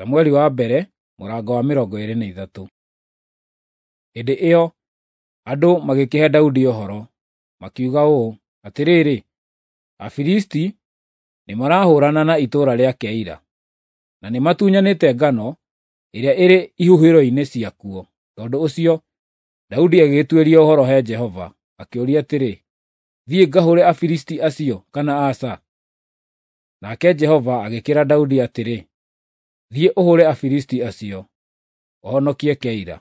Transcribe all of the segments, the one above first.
Samueli wa mbere mũrango wa 23. Hĩndĩ ĩyo andũ magĩkĩhe Daudi ũhoro, makiuga ũũ, "Atĩrĩrĩ, Afilisti nĩmarahũũrana na itũũra rĩa Keila, na nĩmatunyanĩte ngano ĩrĩa ĩrĩ ihuhĩro-inĩ ciakuo." Tondũ ũcio Daudi agĩgĩtuĩria ũhoro he Jehova, akĩũria atĩrĩ, "Thiĩ ngahũũre Afilisti acio kana aca?" Nake Jehova agĩkĩĩra Daudi atĩrĩ, "Thiĩ ũhũũre Afilisti acio, ũhonokie Keila."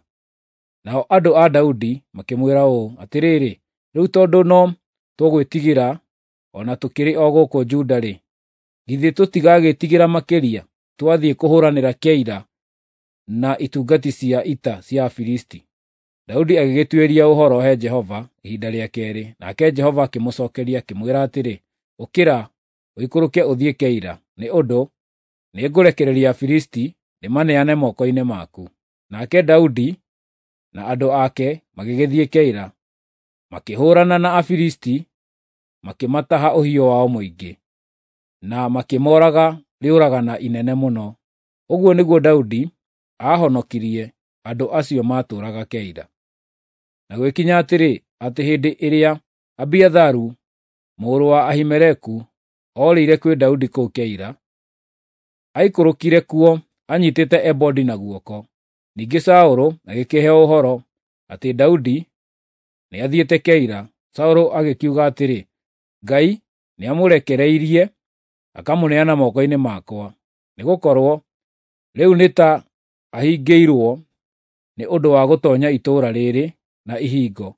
Nao andũ a Daudi makĩmwĩra ũũ, "Atĩrĩrĩ, rĩu tondũ no tũgwĩtigĩra o na tũkĩrĩ o gũkũ Juda-rĩ, githĩ tũtigagĩĩtigĩra makĩria twathiĩ kũhũũranĩra Keila na itungati cia ita cia Afilisti?" Daudi agĩgĩtuĩria ũhoro he Jehova ihinda rĩa keerĩ, nake Jehova akĩmũcookeria akĩmwĩra atĩrĩ, "Ũkĩra, ũikũrũke ũthiĩ Keila, nĩ ũndũ nĩngũrekereria Afilisti ndĩmaneane moko-inĩ maku." Nake Daudi na andũ ake magĩgĩthiĩ Keila, makĩhũũrana na Afilisti, makĩmataha ũhiũ wao mũingĩ, na makĩmooraga rĩũragana inene mũno. Ũguo nĩguo Daudi aahonokirie andũ acio maatũũraga Keila. Na gwĩkinya atĩrĩ, atĩ hĩndĩ ĩrĩa Abiatharu mũrũ wa Ahimeleku oorĩire kwĩ Daudi kũu Keila, aikũrũkire kuo anyiitĩte ebodi na guoko. Ningĩ Saũlũ agĩkĩheo ũhoro atĩ Daudi nĩathiĩte Keila. Saũlũ agĩkiuga atĩrĩ, "Ngai nĩamũrekereirie akamũneana moko-inĩ makwa, nĩgũkorwo rĩu nĩ ta ahingĩirwo nĩ ũndũ wa gũtoonya itũũra rĩrĩ na ihingo,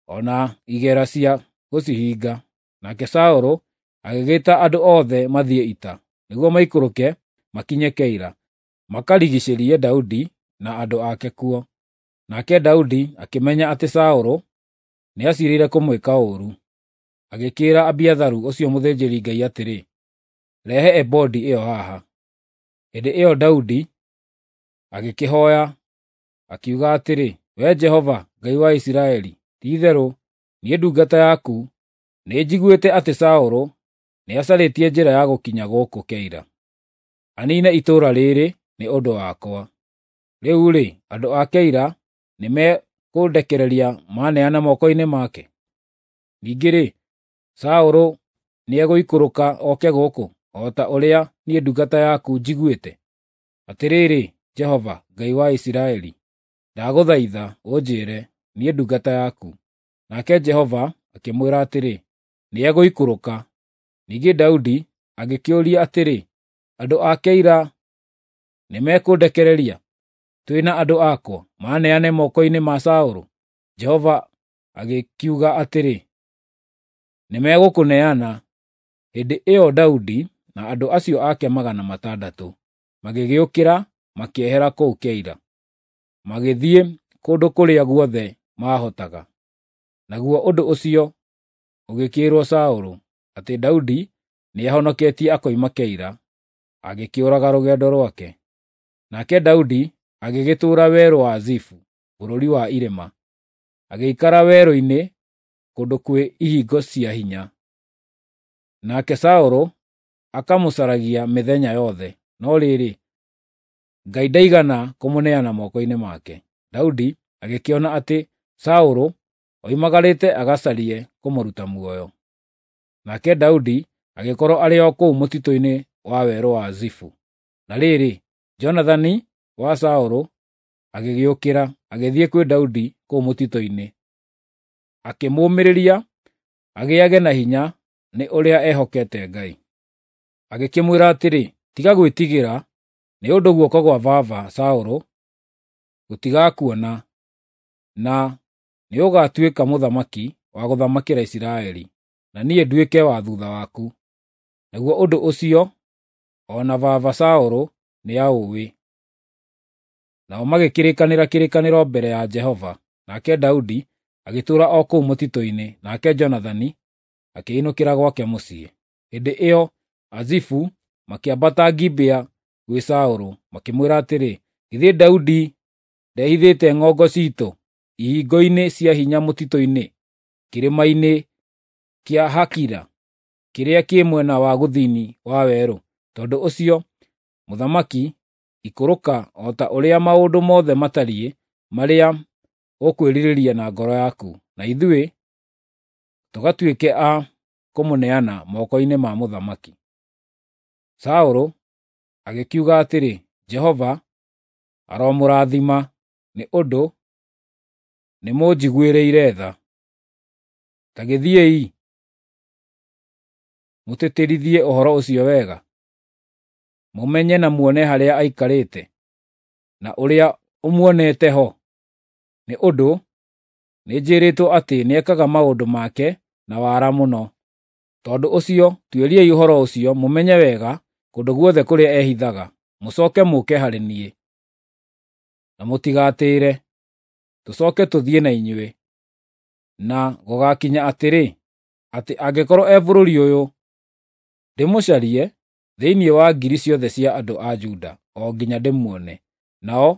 o na igera cia gũcihinga." Nake Saũlũ agĩgĩĩta andũ othe mathiĩ ita, nĩguo maikũrũke makinye Keila, makarigiicĩrie Daudi na andũ ake kuo. Nake Daudi akĩmenya atĩ Saũlũ nĩaciirĩire kũmwĩka ũũru. Agĩkĩĩra Abiatharu ũcio mũthĩnjĩri-Ngai atĩrĩ, "Rehe ebodi ĩyo haha." Hĩndĩ ĩyo Daudi agĩkĩhooya, akiuga atĩrĩ, "Wee Jehova, Ngai wa Isiraeli, ti-itherũ niĩ ndungata yaku nĩnjiguĩte atĩ Saũlũ nĩacarĩtie njĩra ya gũkinya gũkũ Keila, aniine itũũra rĩĩrĩ nĩ ũndũ wakwa. Rĩu-rĩ, andũ a Keila nĩmekũndekereria maaneana moko-inĩ make? Ningĩ-rĩ, Saũlũ nĩegũikũrũka oke gũkũ, o ta ũrĩa niĩ ndungata yaku njiguĩte? Atĩrĩrĩ, Jehova, Ngai wa Isiraeli, ndagũthaitha ũnjĩĩre, niĩ ndungata yaku." Nake Jehova akĩmwĩra atĩrĩ, "Nĩegũikũrũka." Ningĩ Daudi agĩkĩũria atĩrĩ, "Andũ a Keila nĩmekũndekereria, twĩ na andũ akwa, maaneane moko-inĩ ma Saũlũ?" Jehova agĩkiuga atĩrĩ, "Nĩmegũkũneana." Hĩndĩ ĩyo Daudi na andũ acio ake 600 magĩgĩũkĩra makĩehera kũu Keila, magĩthiĩ kũndũ kũrĩa guothe maahotaga. Naguo ũndũ ũcio ũgĩkĩĩrwo Saũlũ atĩ Daudi nĩahonoketie akoima Keila, agĩkĩũraga rũgendo rwake. Nake Daudi agĩgĩtũũra werũ wa Zifu, bũrũri wa irĩma, agĩikara werũ-inĩ kũndũ kwĩ ihingo cia hinya. Nake Saũlũ akamũcaragia mĩthenya yothe, no rĩrĩ, Ngai ndaigana kũmũneana moko-inĩ make. Daudi agĩkĩona atĩ Saũlũ oimagarĩte agacarie kũmũruta muoyo. Nake Daudi agĩkorwo arĩ o kũu mũtitũ-inĩ wa werũ wa Zifu. Na rĩrĩ, Jonathani wa Saũlũ agĩgĩũkĩra, agĩthiĩ kwĩ Daudi kũu mũtitũ-inĩ, akĩmũũmĩrĩria agĩage na hinya nĩ ũrĩa eehokete Ngai. Agĩkĩmwĩra atĩrĩ, "Tiga gwĩtigĩra, nĩ ũndũ guoko gwa baba Saũlũ gũtigakuona, na nĩũgatuĩka mũthamaki wa gũthamakĩra Isiraeli, na niĩ nduĩke wa thuutha waku. Naguo ũndũ ũcio o na baba Saũlũ nĩaũũĩ." Nao magĩkĩrĩkanĩra kĩrĩkanĩro mbere ya Jehova, nake Daudi agĩtũũra o kũu mũtitũ-inĩ, nake Jonathani akĩĩinũkĩra gwake mũciĩ. Hĩndĩ ĩyo Azifu makĩambata Gibea gwĩ Saũlũ, makĩmwĩra atĩrĩ, "Githĩ Daudi ndehithĩte ng'ongo ciitũ ihingo-inĩ cia hinya mũtitũ-inĩ, kĩrĩma-inĩ kĩa Hakila kĩrĩa kĩ mwena wa gũthini wa werũ?" Tondũ ũcio mũthamaki Ikũrũka o ta ũrĩa maũndũ mothe matariĩ marĩa ũkwĩrirĩria na ngoro yaku, na ithuĩ tũgatuĩke a kũmũneana moko-inĩ ma mũthamaki." Saũlũ agĩkiuga atĩrĩ, "Jehova aromũrathima, nĩ ũndũ nĩmũnjiguĩrĩire tha. Ta gĩthiĩi, mũtĩtĩrithie ũhoro ũcio wega, mũmenye na muone harĩa aikarĩte, na ũrĩa ũmuonete ho, nĩ ũndũ nĩnjĩrĩtwo atĩ nĩekaga maũndũ make na wara mũno. Tondũ ũcio tuĩriai ũhoro ũcio mũmenye wega kũndũ guothe kũrĩa ehithaga, mũcooke mũũke harĩ niĩ. Na mũtigatĩĩre, tũcooke tũthiĩ na inyuĩ. Na gũgaakinya atĩrĩ, atĩ angĩkorwo e bũrũri ũyũ, ndĩmũcarie thĩinĩ wa ngiri ciothe cia andũ a Juda o nginya ndĩmuone." Nao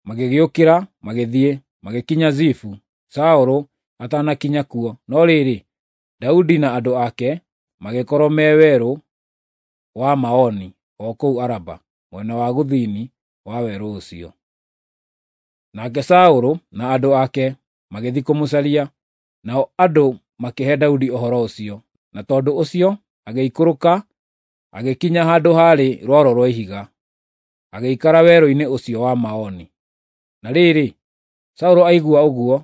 magĩgĩũkĩra magĩthiĩ, magĩkinya Zifu, Saũlũ atanakinya kuo. No rĩrĩ, Daudi na andũ ake magĩkorwo me werũ wa Maoni o kũu Araba, mwena wa gũthini wa werũ ũcio. Nake Saũlũ na andũ ake magĩthiĩ kũmũcaria, nao andũ makĩhe Daudi ũhoro ũcio, na tondũ ũcio agĩikũrũka agĩkinya handũ haarĩ rwaro rwa ihiga, agĩikara werũ-inĩ ũcio wa Maoni. Na rĩrĩ, Saũlũ aigua ũguo,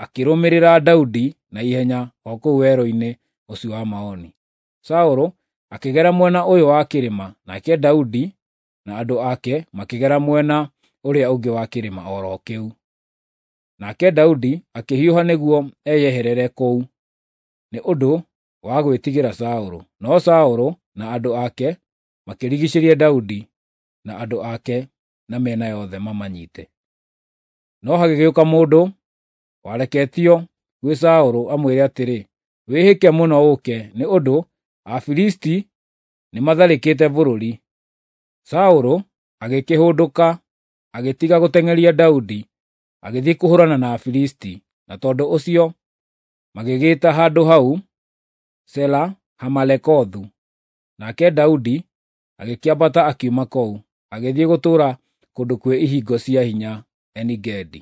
akĩrũmĩrĩra Daudi na ihenya o kũu werũ-inĩ ũcio wa Maoni. Saũlũ akĩgera mwena ũyũ wa kĩrĩma, nake Daudi na andũ ake makĩgera mwena ũrĩa ũngĩ wa kĩrĩma o ro kĩu. Nake Daudi akĩhiũha nĩguo eyeherere kũu, nĩ ũndũ wa gwĩtigĩra Saũlũ. No Saũlũ na andũ ake makĩrigiicĩria Daudi na andũ ake na mĩena yothe mamanyite. No hagĩgĩũka mũndũ wareketio gwĩ Saũlũ amwĩre atĩrĩ, "Wĩhĩke mũno ũũke, nĩ ũndũ Afilisti nĩmatharĩkĩte bũrũri." Saũlũ agĩkĩhũndũka, agĩtiga gũteng'eria Daudi, agĩthiĩ kũhũũrana na Afilisti, na tondũ ũcio magĩgĩĩta handũ hau Sela-Hamalekothu. Nake Daudi agĩkĩambata akiuma kũu, agĩthiĩ gũtũũra kũndũ kwĩ ihingo cia hinya Eni-Gedi.